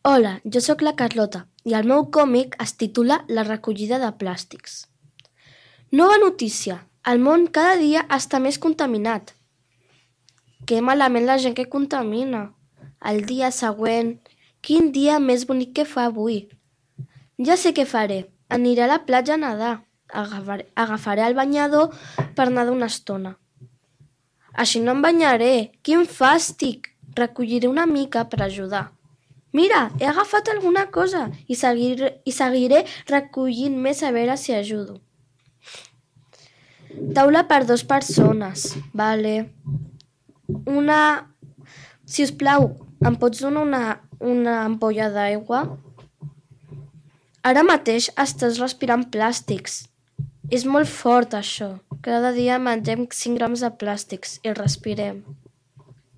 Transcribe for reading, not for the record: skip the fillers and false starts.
Hola, jo sóc la Carlota i el meu còmic es titula La recollida de plàstics. Nova notícia. El món cada dia està més contaminat. Que malament la gent que contamina. El dia següent. Quin dia més bonic que fa avui. Ja sé què faré. Aniré a la platja a nedar. Agafaré el banyador per nedar una estona. Així no em banyaré. Quin fàstic! Recolliré una mica per ajudar. Mira, he agafat alguna cosa i seguiré recollint més a veure si ajudo. Taula per 2 persones, vale. Si us plau, em pots donar una ampolla d'aigua? Ara mateix estàs respirant plàstics. És molt fort això. Cada dia mengem 5 grams de plàstics i respirem.